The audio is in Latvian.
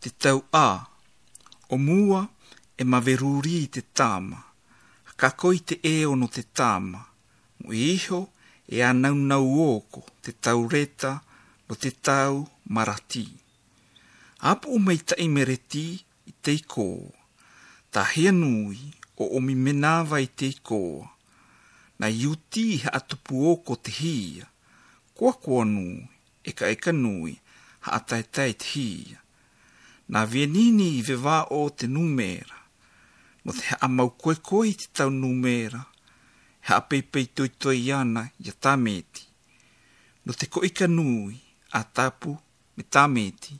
te tau o mua e maveruri te tama, ka koi te no te tama, mo iho e anau nau oko te tau reta no te tau marati. Apu umei tai mereti i te ikoa, ta hea nui o omi menawa i te ikoa, na iuti ha atupu oko te hia, kua nui, eka nui, ha ataetai te hia. Na vienini i vewa o te numera, no te ha amau koe te tau numera, ha peipei toi ana i a tameti, no te koika nui a tapu me tameti,